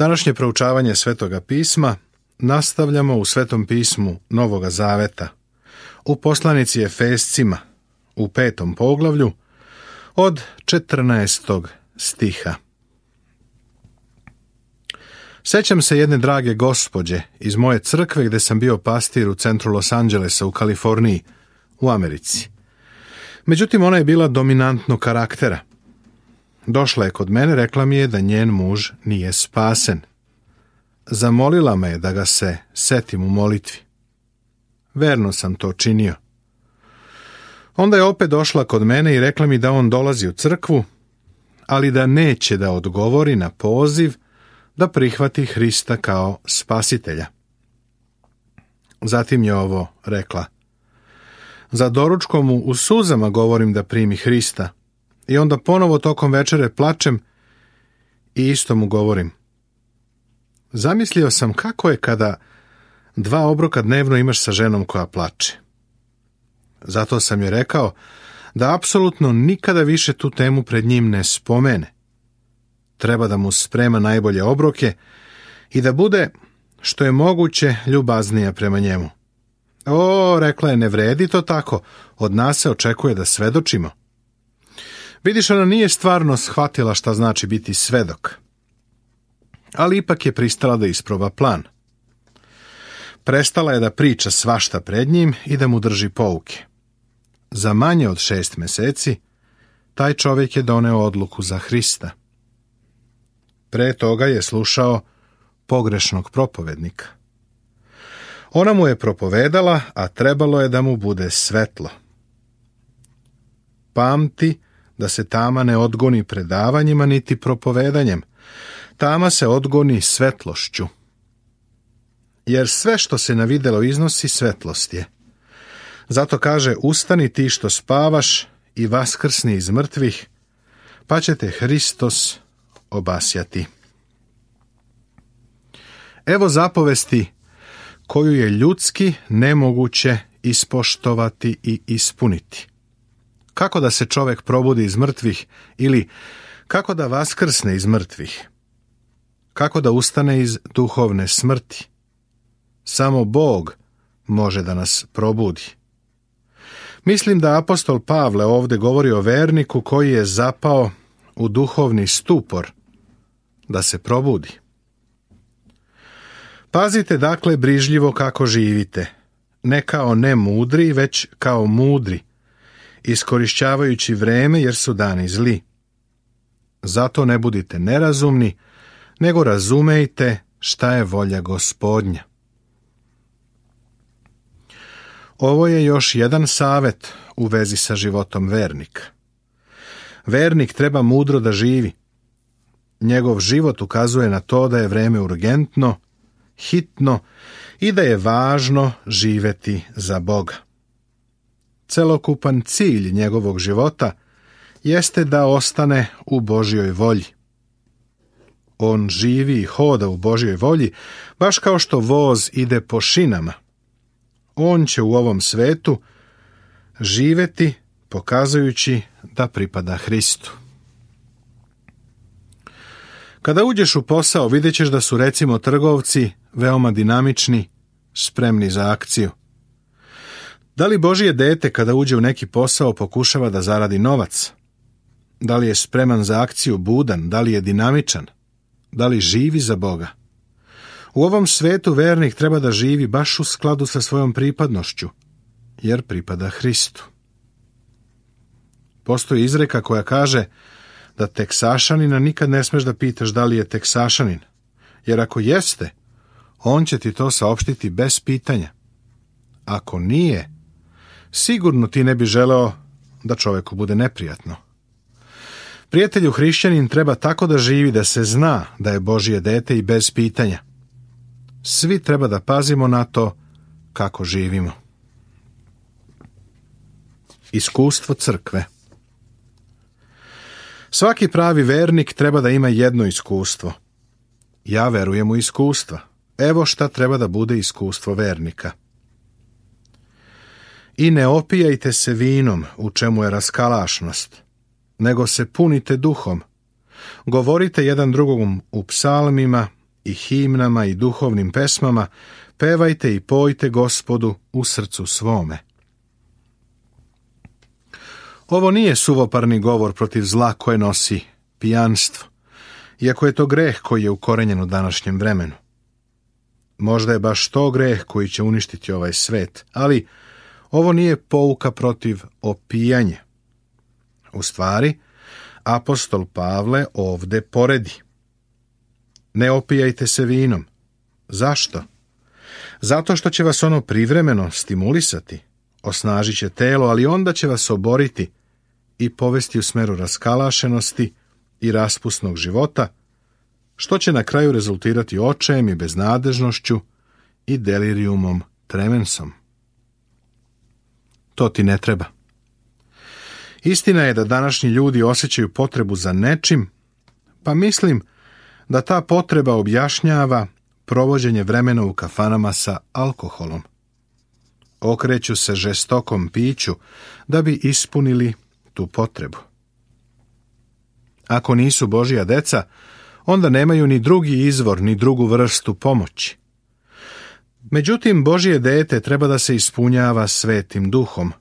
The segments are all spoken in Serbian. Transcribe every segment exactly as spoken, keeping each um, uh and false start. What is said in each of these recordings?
Današnje proučavanje Svetoga pisma nastavljamo u Svetom pismu Novoga Zaveta, u poslanici Efescima, u petom poglavlju, od četrnaestog stiha. Sećam se jedne drage gospođe iz moje crkve gdje sam bio pastir u centru Los Angelesa u Kaliforniji, u Americi. Međutim, ona je bila dominantnog karaktera. Došla je kod mene, rekla mi je da njen muž nije spasen. Zamolila me je da ga se setim u molitvi. Verno sam to činio. Onda je opet došla kod mene i rekla mi da on dolazi u crkvu, ali da neće da odgovori na poziv da prihvati Hrista kao spasitelja. Zatim je ovo rekla. Za doručkom mu u suzama govorim da primi Hrista i onda ponovo tokom večere plačem i isto mu govorim. Zamislio sam kako je kada dva obroka dnevno imaš sa ženom koja plače. Zato sam joj rekao da apsolutno nikada više tu temu pred njim ne spomene. Treba da mu sprema najbolje obroke i da bude što je moguće ljubaznija prema njemu. O, rekla je, ne vredi to tako, od nas se očekuje da svedočimo. Vidiš, ona nije stvarno shvatila šta znači biti svedok, ali ipak je pristala da isproba plan. Prestala je da priča svašta pred njim i da mu drži pouke. Za manje od šest meseci taj čovjek je doneo odluku za Hrista. Pre toga je slušao pogrešnog propovednika. Ona mu je propovedala, a trebalo je da mu bude svetlo. Pamti da se tama ne odgoni predavanjima niti propovedanjem. Tama se odgoni svetlošću. Jer sve što se na videlo iznosi svetlost je. Zato kaže, ustani ti što spavaš i vaskrsni iz mrtvih, pa će te Hristos obasjati. Evo zapovesti koju je ljudski nemoguće ispoštovati i ispuniti. Kako da se čovjek probudi iz mrtvih ili kako da vaskrsne iz mrtvih? Kako da ustane iz duhovne smrti? Samo Bog može da nas probudi. Mislim da apostol Pavle ovdje govori o verniku koji je zapao u duhovni stupor da se probudi. Pazite dakle brižljivo kako živite, ne kao nemudri, već kao mudri, iskorišćavajući vreme jer su dani zli. Zato ne budite nerazumni, nego razumejte šta je volja Gospodnja. Ovo je još jedan savjet u vezi sa životom vernika. Vernik treba mudro da živi. Njegov život ukazuje na to da je vreme urgentno, hitno i da je važno živeti za Boga. Celokupan cilj njegovog života jeste da ostane u Božjoj volji. On živi i hoda u Božjoj volji, baš kao što voz ide po šinama. On će u ovom svetu živeti pokazujući da pripada Hristu. Kada uđeš u posao, vidjet ćeš da su recimo trgovci veoma dinamični, spremni za akciju. Da li Božje dete kada uđe u neki posao pokušava da zaradi novac? Da li je spreman za akciju, budan? Da li je dinamičan? Da li živi za Boga? U ovom svetu vernik treba da živi baš u skladu sa svojom pripadnošću, jer pripada Hristu. Postoji izreka koja kaže da Teksašanina nikad ne smeš da pitaš da li je Teksašanin, jer ako jeste, on će ti to saopštiti bez pitanja. Ako nije, sigurno ti ne bi želeo da čovjeku bude neprijatno. Prijatelju hrišćanin treba tako da živi da se zna da je Božje dete i bez pitanja. Svi treba da pazimo na to kako živimo. Iskustvo crkve. Svaki pravi vernik treba da ima jedno iskustvo. Ja verujem u iskustva. Evo šta treba da bude iskustvo vernika. I ne opijajte se vinom, u čemu je raskalašnost, nego se punite duhom. Govorite jedan drugom u psalmima i himnama i duhovnim pesmama pevajte i pojte Gospodu u srcu svome. Ovo nije suvoparni govor protiv zla koje nosi pijanstvo, iako je to greh koji je ukorenjen u današnjem vremenu. Možda je baš to greh koji će uništiti ovaj svet, ali ovo nije pouka protiv opijanja. U stvari, apostol Pavle ovde poredi. Ne opijajte se vinom. Zašto? Zato što će vas ono privremeno stimulisati, osnažit će telo, ali onda će vas oboriti i povesti u smeru raskalašenosti i raspusnog života, što će na kraju rezultirati očajem i beznadežnošću i delirijumom tremensom. To ti ne treba. Istina je da današnji ljudi osjećaju potrebu za nečim, pa mislim da ta potreba objašnjava provođenje vremena u kafanama sa alkoholom. Okreću se žestokom piću da bi ispunili tu potrebu. Ako nisu Božja deca, onda nemaju ni drugi izvor, ni drugu vrstu pomoći. Međutim, Božje dete treba da se ispunjava Svetim Duhom.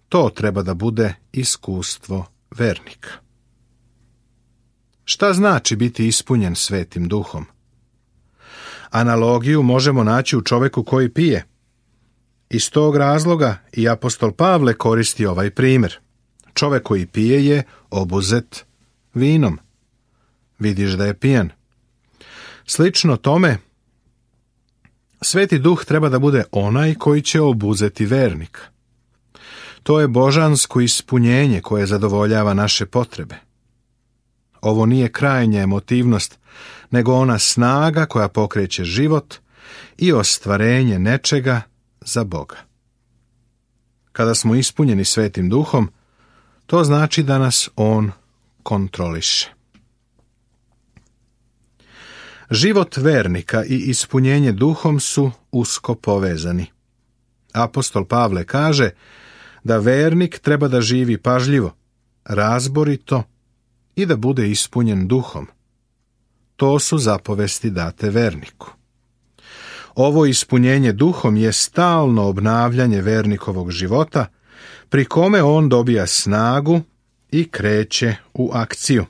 To treba da bude iskustvo vernika. Šta znači biti ispunjen Svetim Duhom? Analogiju možemo naći u čoveku koji pije. Iz tog razloga i apostol Pavle koristi ovaj primjer. Čovek koji pije je obuzet vinom. Vidiš da je pijan. Slično tome, Sveti Duh treba da bude onaj koji će obuzeti vernika. To je božansko ispunjenje koje zadovoljava naše potrebe. Ovo nije krajnja emotivnost, nego ona snaga koja pokreće život i ostvarenje nečega za Boga. Kada smo ispunjeni Svetim Duhom, to znači da nas On kontroliše. Život vernika i ispunjenje Duhom su usko povezani. Apostol Pavle kaže da vernik treba da živi pažljivo, razborito i da bude ispunjen Duhom. To su zapovesti date verniku. Ovo ispunjenje Duhom je stalno obnavljanje vernikovog života, pri kome on dobija snagu i kreće u akciju.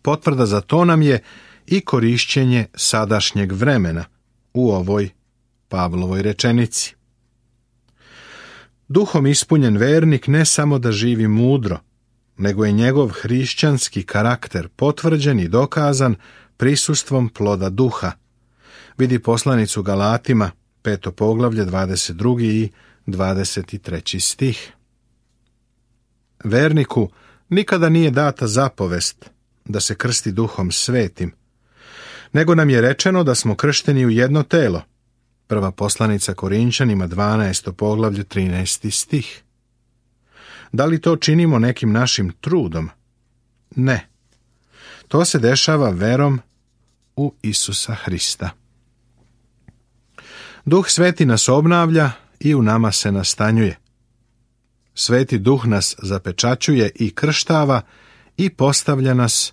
Potvrda za to nam je i korišćenje sadašnjeg vremena u ovoj Pavlovoj rečenici. Duhom ispunjen vernik ne samo da živi mudro, nego je njegov hrišćanski karakter potvrđen i dokazan prisustvom ploda duha. Vidi poslanicu Galatima, peto poglavlje, dvadeset drugi i dvadeset treći stih. Verniku nikada nije data zapovest da se krsti Duhom Svetim, nego nam je rečeno da smo kršteni u jedno telo. Prva poslanica Korinčanima, dvanaesto poglavlje, trinaesti stih. Da li to činimo nekim našim trudom? Ne. To se dešava verom u Isusa Hrista. Duh Sveti nas obnavlja i u nama se nastanjuje. Sveti Duh nas zapečaćuje i krštava i postavlja nas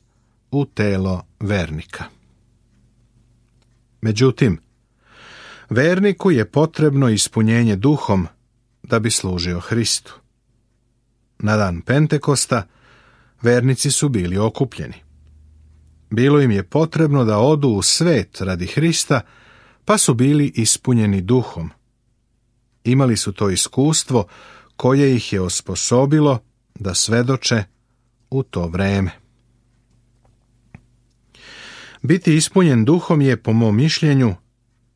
u telo vernika. Međutim, verniku je potrebno ispunjenje Duhom da bi služio Hristu. Na dan Pentekosta vernici su bili okupljeni. Bilo im je potrebno da odu u svet radi Hrista, pa su bili ispunjeni Duhom. Imali su to iskustvo koje ih je osposobilo da svedoče u to vreme. Biti ispunjen Duhom je, po mom mišljenju,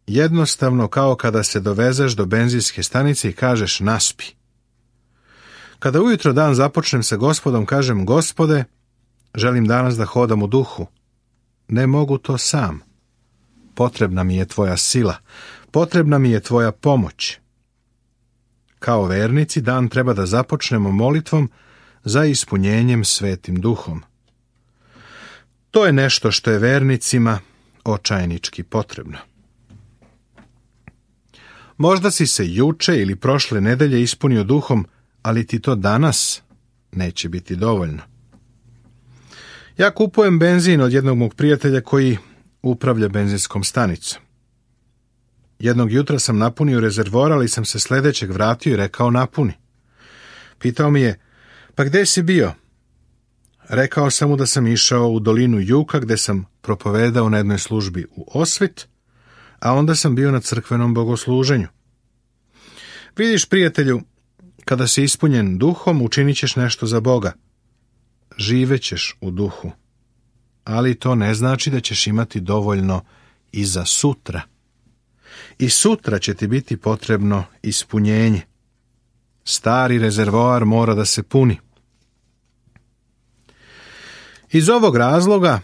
jednostavno kao kada se dovezeš do benzinske stanice i kažeš naspi. Kada ujutro dan započnem sa Gospodom, kažem: Gospode, želim danas da hodam u duhu. Ne mogu to sam. Potrebna mi je tvoja sila, potrebna mi je tvoja pomoć. Kao vernici dan treba da započnemo molitvom za ispunjenjem Svetim Duhom. To je nešto što je vernicima očajnički potrebno. Možda si se juče ili prošle nedelje ispunio Duhom, ali ti to danas neće biti dovoljno. Ja kupujem benzin od jednog mog prijatelja koji upravlja benzinskom stanicom. Jednog jutra sam napunio rezervoar, ali sam se sljedećeg vratio i rekao napuni. Pitao mi je, pa gdje si bio? Rekao sam mu da sam išao u dolinu Juka gdje sam propovedao na jednoj službi u Osvit, a onda sam bio na crkvenom bogosluženju. Vidiš, prijatelju, kada si ispunjen duhom, učinit ćeš nešto za Boga. Živećeš u duhu. Ali to ne znači da ćeš imati dovoljno i za sutra. I sutra će ti biti potrebno ispunjenje. Stari rezervoar mora da se puni. Iz ovog razloga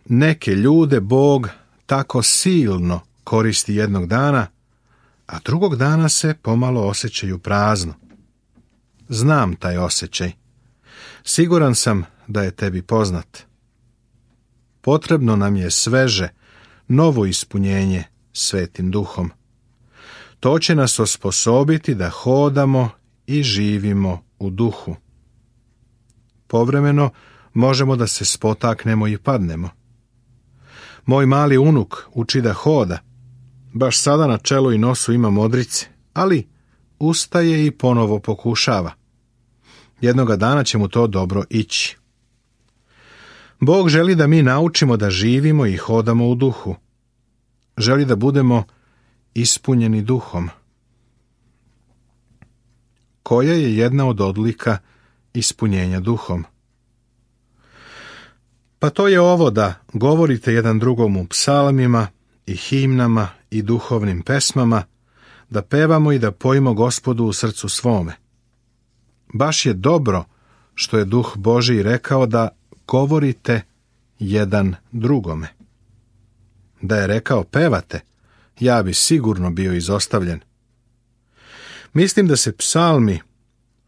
neke ljude Bog tako silno koristi jednog dana, a drugog dana se pomalo osjećaju prazno. Znam taj osjećaj. Siguran sam da je tebi poznat. Potrebno nam je sveže, novo ispunjenje Svetim Duhom. To će nas osposobiti da hodamo i živimo u duhu. Povremeno možemo da se spotaknemo i padnemo. Moj mali unuk uči da hoda. Baš sada na čelu i nosu ima modrice, ali ustaje i ponovo pokušava. Jednoga dana će mu to dobro ići. Bog želi da mi naučimo da živimo i hodamo u duhu. Želi da budemo ispunjeni duhom. Koja je jedna od odlika ispunjenja duhom? Pa to je ovo da govorite jedan drugom u psalmima i himnama i duhovnim pesmama, da pevamo i da pojimo Gospodu u srcu svome. Baš je dobro što je Duh Božji rekao da govorite jedan drugome. Da je rekao pevate, ja bi sigurno bio izostavljen. Mislim da se psalmi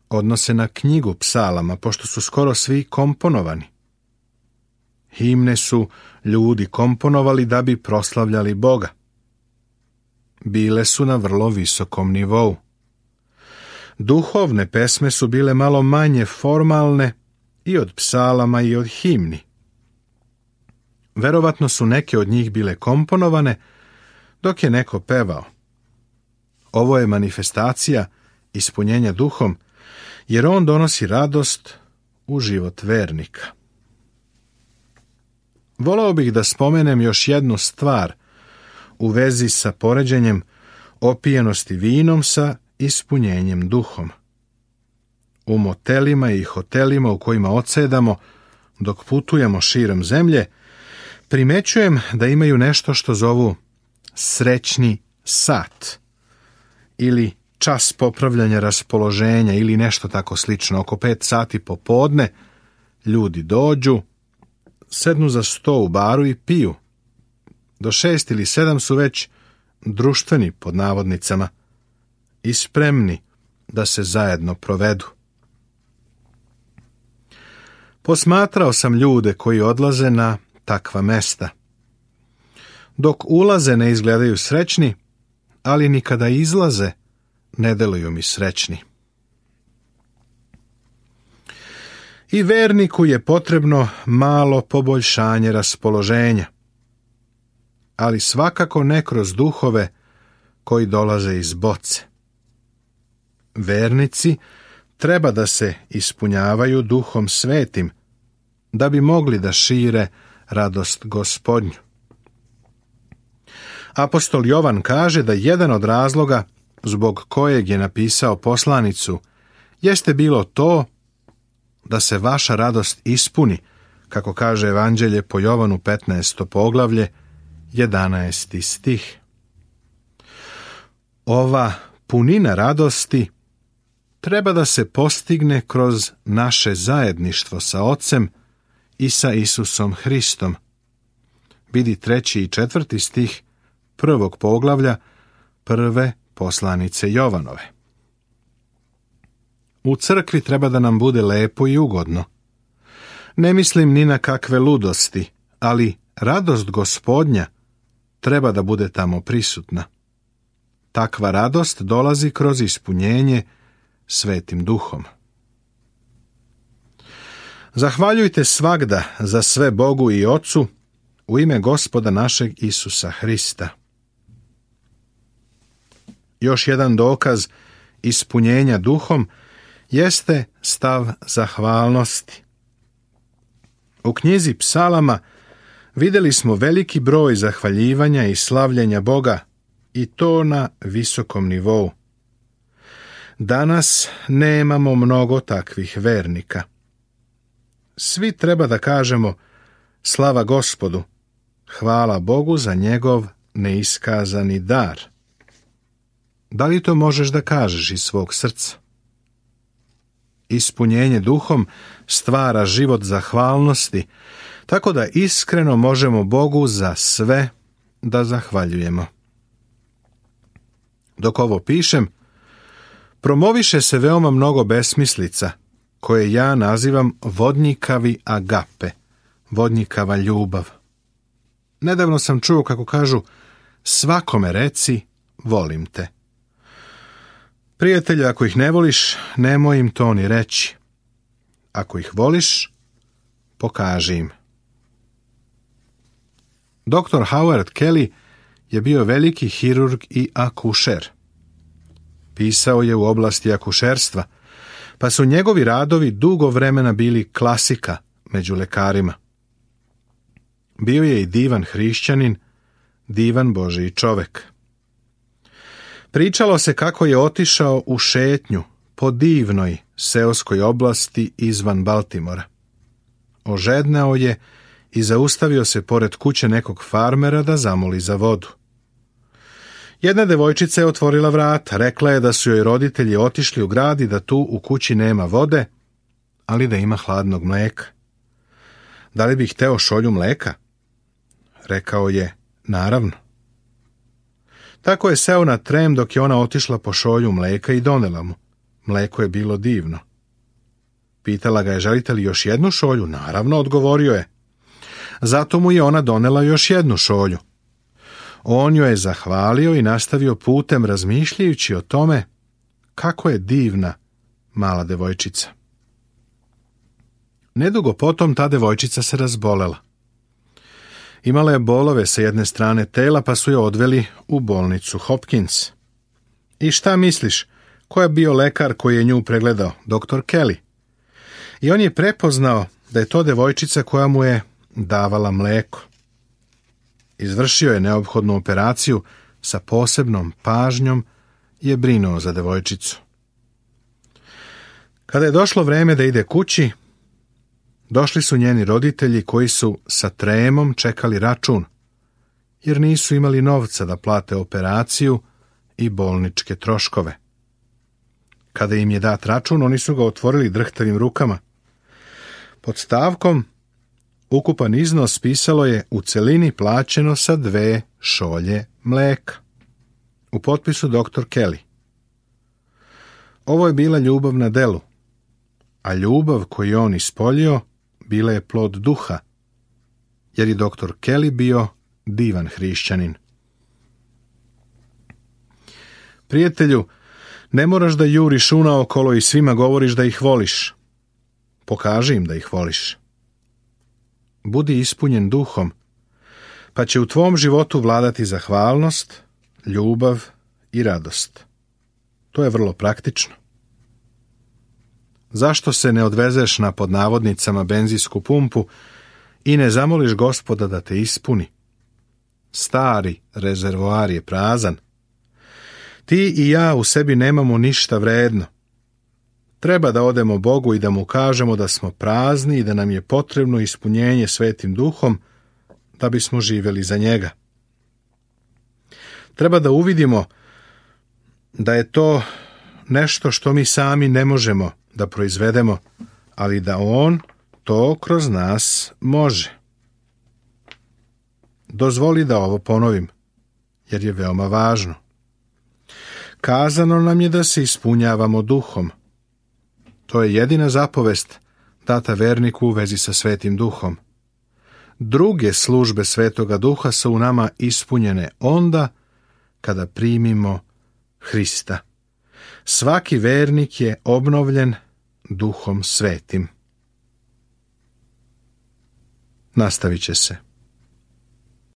odnose na knjigu psalama, pošto su skoro svi komponovani. Himne su ljudi komponovali da bi proslavljali Boga. Bile su na vrlo visokom nivou. Duhovne pesme su bile malo manje formalne i od psalama i od himni. Verovatno su neke od njih bile komponovane dok je neko pevao. Ovo je manifestacija ispunjenja duhom, jer on donosi radost u život vernika. Voleo bih da spomenem još jednu stvar u vezi sa poređenjem opijenosti vinom sa ispunjenjem duhom. U motelima i hotelima u kojima odsedamo dok putujemo širom zemlje, primećujem da imaju nešto što zovu srećni sat ili čas popravljanja raspoloženja ili nešto tako slično. Oko pet sati popodne ljudi dođu, sednu za sto u baru i piju. Do šest ili sedam su već društveni pod navodnicama i spremni da se zajedno provedu. Posmatrao sam ljude koji odlaze na takva mesta. Dok ulaze ne izgledaju srećni, ali ni kada izlaze ne deluju mi srećni. I verniku je potrebno malo poboljšanje raspoloženja, ali svakako ne kroz duhove koji dolaze iz boce. Vernici treba da se ispunjavaju Duhom Svetim, da bi mogli da šire radost Gospodnju. Apostol Jovan kaže da jedan od razloga zbog kojeg je napisao poslanicu jeste bilo to da se vaša radost ispuni, kako kaže Evanđelje po Jovanu petnaesto poglavlje, jedanaesti stih. Ova punina radosti treba da se postigne kroz naše zajedništvo sa Ocem i sa Isusom Hristom. Vidi treći i četvrti stih prvog poglavlja prve poslanice Jovanove. U crkvi treba da nam bude lepo i ugodno. Ne mislim ni na kakve ludosti, ali radost Gospodnja treba da bude tamo prisutna. Takva radost dolazi kroz ispunjenje Svetim Duhom. Zahvaljujte svagda za sve Bogu i Ocu, u ime Gospoda našeg Isusa Hrista. Još jedan dokaz ispunjenja duhom jeste stav zahvalnosti. U knjizi Psalama vidjeli smo veliki broj zahvaljivanja i slavljenja Boga, i to na visokom nivou. Danas nemamo mnogo takvih vernika. Svi treba da kažemo slava Gospodu, hvala Bogu za njegov neiskazani dar. Da li to možeš da kažeš iz svog srca? Ispunjenje duhom stvara život zahvalnosti, tako da iskreno možemo Bogu za sve da zahvaljujemo. Dok ovo pišem, promoviše se veoma mnogo besmislica, koje ja nazivam vodnjikavi agape, vodnjikava ljubav. Nedavno sam čuo kako kažu, svakome reci, volim te. Prijatelju, ako ih ne voliš, nemoj im to ni reći. Ako ih voliš, pokaži im. doktor Howard Kelly je bio veliki hirurg i akušer. Pisao je u oblasti akušerstva, pa su njegovi radovi dugo vremena bili klasika među lekarima. Bio je i divan hrišćanin, divan Božji čovek. Pričalo se kako je otišao u šetnju po divnoj seoskoj oblasti izvan Baltimora. Ožedneo je i zaustavio se pored kuće nekog farmera da zamoli za vodu. Jedna devojčica je otvorila vrata, rekla je da su joj roditelji otišli u grad i da tu u kući nema vode, ali da ima hladnog mleka. Da li bih hteo šolju mleka? Rekao je, naravno. Tako je seo na trem dok je ona otišla po šolju mleka i donela mu. Mleko je bilo divno. Pitala ga je, želite li još jednu šolju? Naravno, odgovorio je. Zato mu je ona donela još jednu šolju. On joj je zahvalio i nastavio putem razmišljajući o tome kako je divna mala devojčica. Nedugo potom ta devojčica se razbolela. Imala je bolove sa jedne strane tela, pa su je odveli u bolnicu Hopkins. I šta misliš, ko je bio lekar koji je nju pregledao? doktor Kelly. I on je prepoznao da je to devojčica koja mu je davala mleko. Izvršio je neophodnu operaciju, sa posebnom pažnjom je brinuo za devojčicu. Kada je došlo vreme da ide kući, došli su njeni roditelji koji su sa tremom čekali račun, jer nisu imali novca da plate operaciju i bolničke troškove. Kada im je dat račun, oni su ga otvorili drhtavim rukama. Pod stavkom ukupan iznos pisalo je u celini plaćeno sa dve šolje mleka. U potpisu doktor Kelly. Ovo je bila ljubav na delu, a ljubav koju on ispoljio bila je plod duha, jer je doktor Kelly bio divan hrišćanin. Prijatelju, ne moraš da juriš unaokolo i svima govoriš da ih voliš. Pokaži im da ih voliš. Budi ispunjen duhom, pa će u tvom životu vladati zahvalnost, ljubav i radost. To je vrlo praktično. Zašto se ne odvezeš na pod navodnicama benzinsku pumpu i ne zamoliš Gospoda da te ispuni? Stari rezervoar je prazan. Ti i ja u sebi nemamo ništa vredno. Treba da odemo Bogu i da mu kažemo da smo prazni i da nam je potrebno ispunjenje Svetim Duhom da bismo živjeli za njega. Treba da uvidimo da je to nešto što mi sami ne možemo da proizvedemo, ali da on to kroz nas može. Dozvoli da ovo ponovim, jer je veoma važno. Kazano nam je da se ispunjavamo duhom. To je jedina zapovest data verniku u vezi sa Svetim Duhom. Druge službe Svetoga Duha su u nama ispunjene onda kada primimo Hrista. Svaki vernik je obnovljen Duhom Svetim. Nastavit će se.